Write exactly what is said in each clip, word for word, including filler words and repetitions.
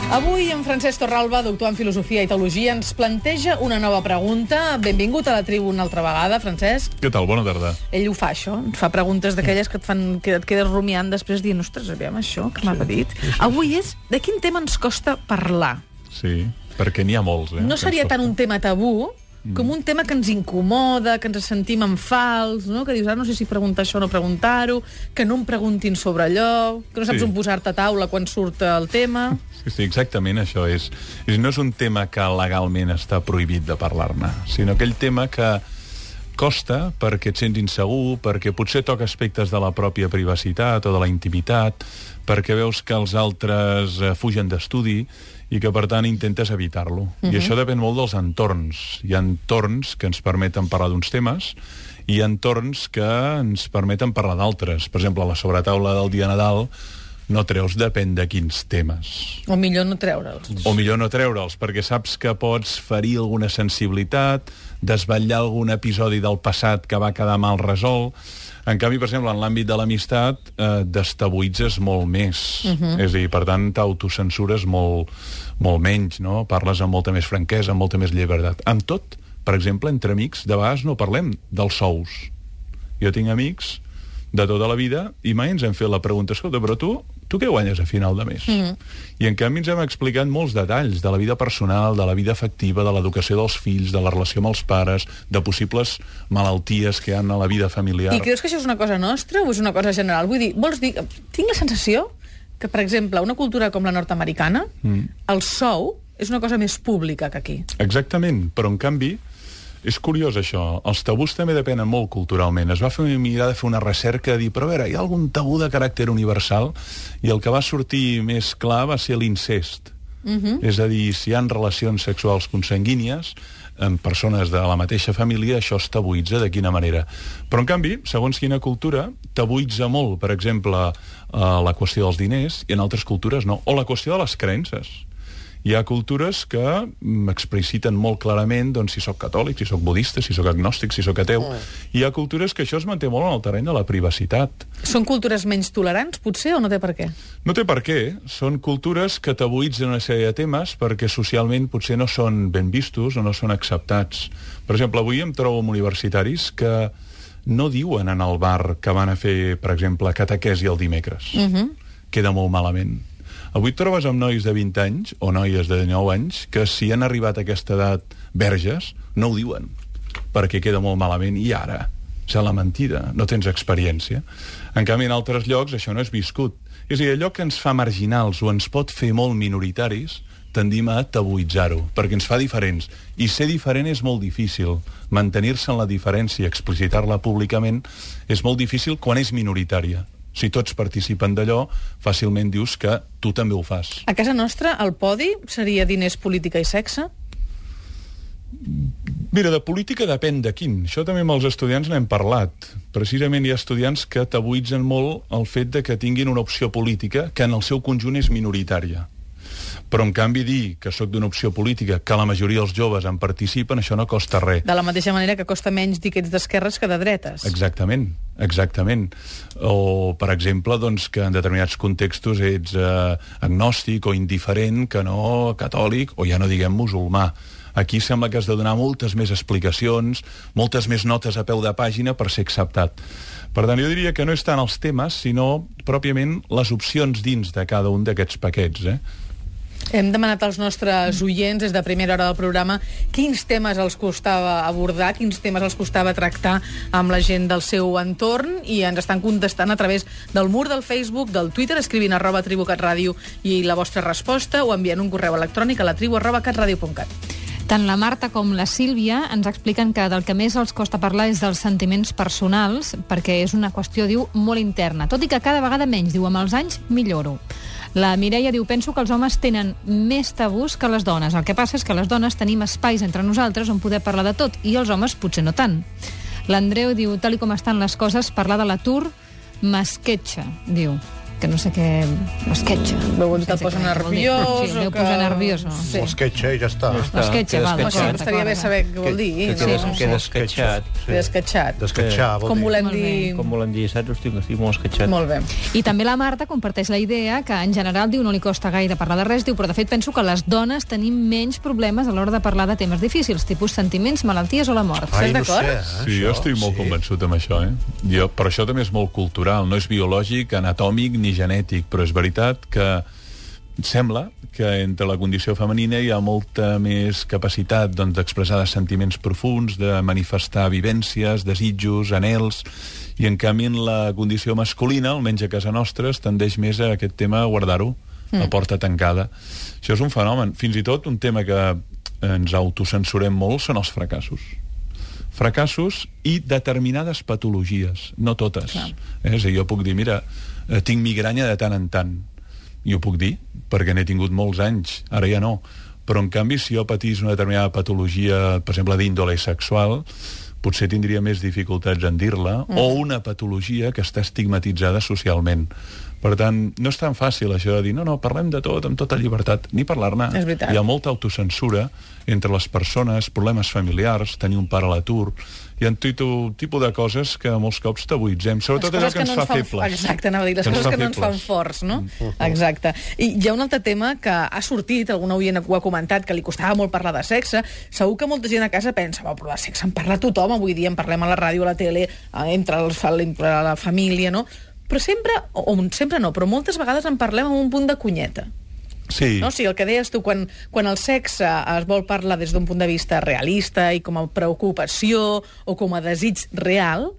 Avui en Francesc Torralba, doctor en Filosofia i Teologia, ens planteja una nova pregunta. Benvingut a la tribu una altra vegada, Francesc. Què tal? Bona tarda. Ell ho fa, això. Fa preguntes d'aquelles que et fan que et quedes rumiant després dient, ostres, aviam això, que m'ha dit. Sí, sí, sí. Avui és de quin tema ens costa parlar. Sí, perquè n'hi ha molts. Eh, no seria tant un tema tabú com un tema que ens incomoda, que ens sentim en fals, no? Que dius, ah, no sé si preguntar això o no preguntar-ho, que no em preguntin sobre allò, que no saps sí. on posar-te a taula quan surt el tema. Sí, sí, exactament això és. és. No és un tema que legalment està prohibit de parlar-ne, sinó aquell tema que costa perquè et sents insegur, perquè potser toca aspectes de la pròpia privacitat o de la intimitat, perquè veus que els altres fugen d'estudi i que, per tant, intentes evitar-lo. Uh-huh. I això depèn molt dels entorns. Hi ha entorns que ens permeten parlar d'uns temes i hi ha entorns que ens permeten parlar d'altres. Per exemple, a la sobretaula del dia Nadal no treus depèn de quins temes. O millor no treure'ls. O millor no treure'ls, perquè saps que pots ferir alguna sensibilitat, desvetllar algun episodi del passat que va quedar mal resolt. En canvi, per exemple, en l'àmbit de l'amistat, eh, destabuïtzes molt més. Uh-huh. És a dir, per tant, t'autocensures molt, molt menys, no? Parles amb molta més franquesa, amb molta més llibertat. Amb tot, per exemple, entre amics, de vegades no parlem dels sous. Jo tinc amics de tota la vida i mai ens hem fet la pregunta, escolta, però tu, tu què guanyes a final de mes? Uh-huh. I en canvi ens hem explicat molts detalls de la vida personal, de la vida afectiva, de l'educació dels fills, de la relació amb els pares, de possibles malalties que hi ha a la vida familiar. I creus que això és una cosa nostra o és una cosa general? Vull dir, vols dir... Tinc la sensació que, per exemple, una cultura com la nord-americana, mm. el sou és una cosa més pública que aquí. Exactament, però en canvi és curiós això, els tabús també depenen molt culturalment. Es va fer una mirada, fer una recerca, dir, però a veure, hi ha algun tabú de caràcter universal? I el que va sortir més clar va ser l'incest. Uh-huh. És a dir, si hi ha relacions sexuals consanguínies amb persones de la mateixa família, això es tabuïtza de quina manera. Però, en canvi, segons quina cultura, tabuïtza molt, per exemple, eh, la qüestió dels diners, i en altres cultures no. O la qüestió de les creences. Hi ha cultures que m'expliciten molt clarament doncs, si sóc catòlic, si sóc budista, si sóc agnòstic, si sóc ateu. Mm. Hi ha cultures que això es manté molt en el terreny de la privacitat. Són cultures menys tolerants, potser, o no té per què? No té per què. Són cultures que tabuïtzen una sèrie de temes perquè socialment potser no són ben vistos o no són acceptats. Per exemple, avui em trobo amb universitaris que no diuen en el bar que van a fer, per exemple, catequesi el dimecres. Mm-hmm. Queda molt malament. Avui et trobes amb nois de vint anys, o noies de dinou anys, que si han arribat a aquesta edat verges, no ho diuen, perquè queda molt malament, i ara, és la mentida, no tens experiència. En canvi, en altres llocs, això no és viscut. És a dir, allò que ens fa marginals o ens pot fer molt minoritaris, tendim a tabuïtzar-ho, perquè ens fa diferents. I ser diferent és molt difícil. Mantenir-se en la diferència i explicitar-la públicament és molt difícil quan és minoritària. Si tots participen d'allò, fàcilment dius que tu també ho fas. A casa nostra, el podi seria diners, política i sexe? Mira, de política depèn de quin. Això també amb els estudiants n'hem parlat. Precisament hi ha estudiants que tabuïtzen molt el fet de que tinguin una opció política que en el seu conjunt és minoritària. Però, en canvi, dir que sóc d'una opció política, que la majoria dels joves en participen, això no costa res. De la mateixa manera que costa menys dir que ets d'esquerres que de dretes. Exactament, exactament. O, per exemple, doncs, que en determinats contextos ets eh, agnòstic o indiferent, que no catòlic, o ja no diguem musulmà. Aquí sembla que has de donar moltes més explicacions, moltes més notes a peu de pàgina per ser acceptat. Per tant, jo diria que no és tant els temes, sinó pròpiament les opcions dins de cada un d'aquests paquets, eh? Hem demanat als nostres oients des de primera hora del programa quins temes els costava abordar, quins temes els costava tractar amb la gent del seu entorn, i ens estan contestant a través del mur del Facebook, del Twitter, escrivint arroba tribucatradio i la vostra resposta, o enviant un correu electrònic a la tribu arroba catradio punt cat. Tant la Marta com la Sílvia ens expliquen que del que més els costa parlar és dels sentiments personals, perquè és una qüestió, diu, molt interna. Tot i que cada vegada menys, diu, amb els anys milloro. La Mireia diu, penso que els homes tenen més tabús que les dones. El que passa és que les dones tenim espais entre nosaltres on poder parlar de tot, i els homes potser no tant. L'Andreu diu, tal i com estan les coses, parlar de l'atur m'esquetxa, diu. que no sé què... L'esquetxa. Veu on te'l posa nerviós... Sí, deu posar nerviós. Sí. L'esquetxa i ja està. L'esquetxa, val. No sé, estaria bé saber què vol dir. Que queda esquetxat. Esquetxat. Desquetxar, vol dir. Com volem dir... Com volem dir, saps? Estic, estic molt esquetxat. Molt bé. I també la Marta comparteix la idea que en general diu no li costa gaire parlar de res, diu, però de fet penso que les dones tenim menys problemes a l'hora de parlar de temes difícils, tipus sentiments, malalties o la mort. Ai, Estàs no d'acord? sé, eh, Sí, jo això, estic molt sí. convençut amb això, eh? Jo, però això també és molt cultural, no és biològic, anatòmic ni genètic, però és veritat que sembla que entre la condició femenina hi ha molta més capacitat doncs, d'expressar sentiments profunds, de manifestar vivències, desitjos, anhels, i en canvi en la condició masculina, almenys a casa nostra, es tendeix més a aquest tema a guardar-ho, mm. a porta tancada. Això és un fenomen. Fins i tot un tema que ens autocensurem molt són els fracassos. Fracassos i determinades patologies, no totes. Clar. Eh? És a dir, jo puc dir, mira, eh, tinc migranya de tant en tant. I ho puc dir, perquè n'he tingut molts anys, ara ja no. Però, en canvi, si jo patís una determinada patologia, per exemple, d'índole sexual, potser tindria més dificultats en dir-la, mm. o una patologia que està estigmatitzada socialment. Per tant, no és tan fàcil això de dir no, no, parlem de tot, amb tota llibertat, ni parlar-ne. És veritat. Hi ha molta autocensura entre les persones, problemes familiars, tenir un pare a l'atur. Hi ha un tipus de coses que molts cops tabuïtzem, sobretot allò que ens fa febles. Exacte, anava a dir, les coses que no ens fan forts, no? Exacte. I hi ha un altre tema que ha sortit, algun oient ho ha comentat, que li costava molt parlar de sexe. Segur que molta gent a casa pensa, però de sexe en parla tothom, avui dia en parlem a la ràdio, a la tele, entre, els, entre la família, no? Però sempre, o sempre no, però moltes vegades en parlem amb un punt de cunyeta. Sí. No? O sigui, el que deies tu, quan, quan el sexe es vol parlar des d'un punt de vista realista i com a preocupació o com a desig real,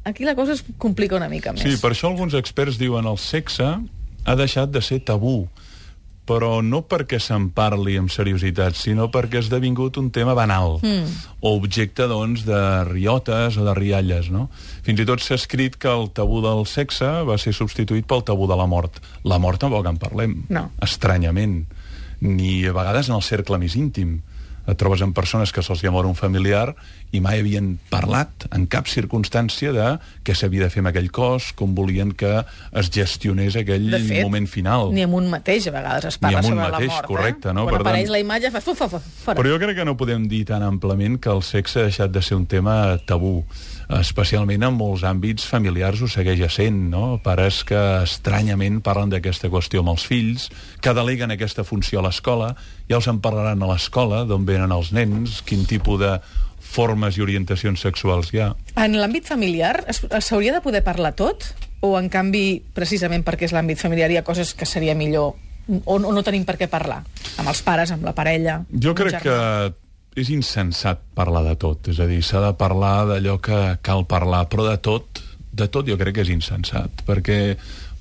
aquí la cosa es complica una mica més. Sí, per això alguns experts diuen el sexe ha deixat de ser tabú, però no perquè se'n parli amb seriositat, sinó perquè ha esdevingut un tema banal, mm. o objecte, doncs, de riotes o de rialles, no? Fins i tot s'ha escrit que el tabú del sexe va ser substituït pel tabú de la mort. La mort tampoc en parlem, no. Estranyament, ni a vegades en el cercle més íntim. Et trobes amb persones que se'ls mor un familiar i mai havien parlat en cap circumstància de què s'havia de fer amb aquell cos, com volien que es gestionés aquell de fet, moment final. Ni amb un mateix, a vegades es parla sobre mateix, la mort. Correcte, eh? no? Quan Per apareix tant, la imatge, fa fuf, fuf, fora. Però jo crec que no podem dir tan amplament que el sexe ha deixat de ser un tema tabú. Especialment en molts àmbits familiars ho segueix essent, no? Pares que estranyament parlen d'aquesta qüestió amb els fills, que deleguen aquesta funció a l'escola, ja us en parlaran a l'escola, d'on venen els nens, quin tipus de formes i orientacions sexuals hi ha. En l'àmbit familiar s'hauria de poder parlar tot? O, en canvi, precisament perquè és l'àmbit familiar, hi ha coses que seria millor o no, no tenim per què parlar? Amb els pares, amb la parella? Jo crec que és insensat parlar de tot, és a dir, s'ha de parlar d'allò que cal parlar, però de tot, de tot jo crec que és insensat, perquè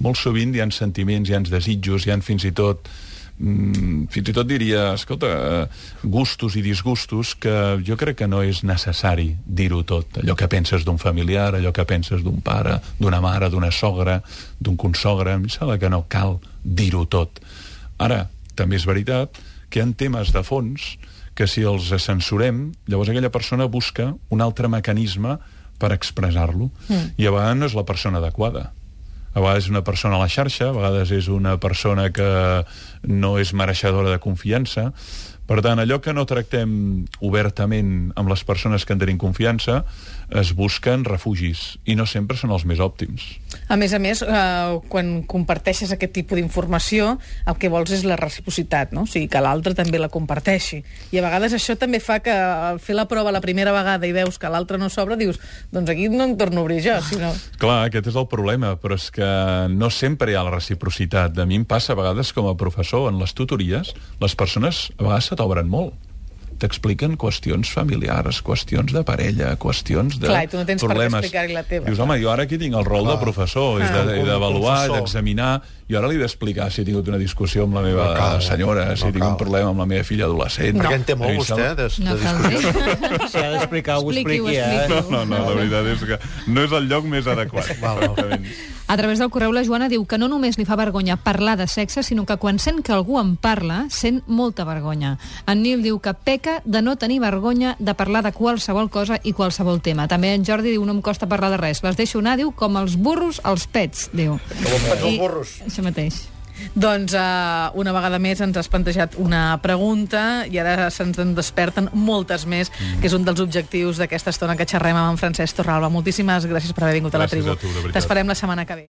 molt sovint hi ha sentiments, hi ha desitjos, hi ha fins i tot, mm, fins i tot diria, escolta, gustos i disgustos que jo crec que no és necessari dir-ho tot, allò que penses d'un familiar, allò que penses d'un pare, d'una mare, d'una sogra, d'un consogre, em sembla que no cal dir-ho tot. Ara, també és veritat que hi ha temes de fons que si els censurem, llavors aquella persona busca un altre mecanisme per expressar-lo. Mm. I a vegades no és la persona adequada. A vegades és una persona a la xarxa, a vegades és una persona que no és mereixedora de confiança. Per tant, allò que no tractem obertament amb les persones que en tenim confiança, es busquen refugis, i no sempre són els més òptims. A més a més, eh, quan comparteixes aquest tipus d'informació, el que vols és la reciprocitat, no? O sigui, que l'altre també la comparteixi. I a vegades això també fa que al fer la prova la primera vegada i veus que l'altre no s'obre, dius, doncs aquí no em torno a obrir jo, sinó... Clar, aquest és el problema, però és que no sempre hi ha la reciprocitat. A mi em passa a vegades com a professor, en les tutories, les persones a vegades se t'obren molt. T'expliquen qüestions familiars, qüestions de parella, qüestions de Clar, i tu no tens problemes. per què explicar-hi la teva. Dius, home, jo ara aquí tinc el rol Clar. de professor, ah. he de- he d'avaluar, he d'examinar, i ara li he d'explicar si he tingut una discussió amb la meva No cal, senyora, no si tinc un cal. problema amb la meva filla adolescent. Perquè en té molt, A mi em vostè, sembla- de, de No cal discussió. dir. Si ha d'explicar, ho Expliqui-ho, expliqui, eh? expliqui-ho. No, no, la veritat és que no és el lloc més adequat. Val, val. Exactament. A través del correu la Joana diu que no només li fa vergonya parlar de sexe, sinó que quan sent que algú en parla, sent molta vergonya. En Nil diu que peca de no tenir vergonya de parlar de qualsevol cosa i qualsevol tema. També en Jordi diu no em costa parlar de res. Les deixo anar, diu, com els burros als pets, diu. Com els pets als burros. Això mateix. Doncs uh, una vegada més ens has plantejat una pregunta i ara se'ns en desperten moltes més, mm. que és un dels objectius d'aquesta estona que xerrem amb en Francesc Torralba. Moltíssimes gràcies per haver vingut gràcies a la tribu. A tu, de veritat. T'esperem la setmana que ve.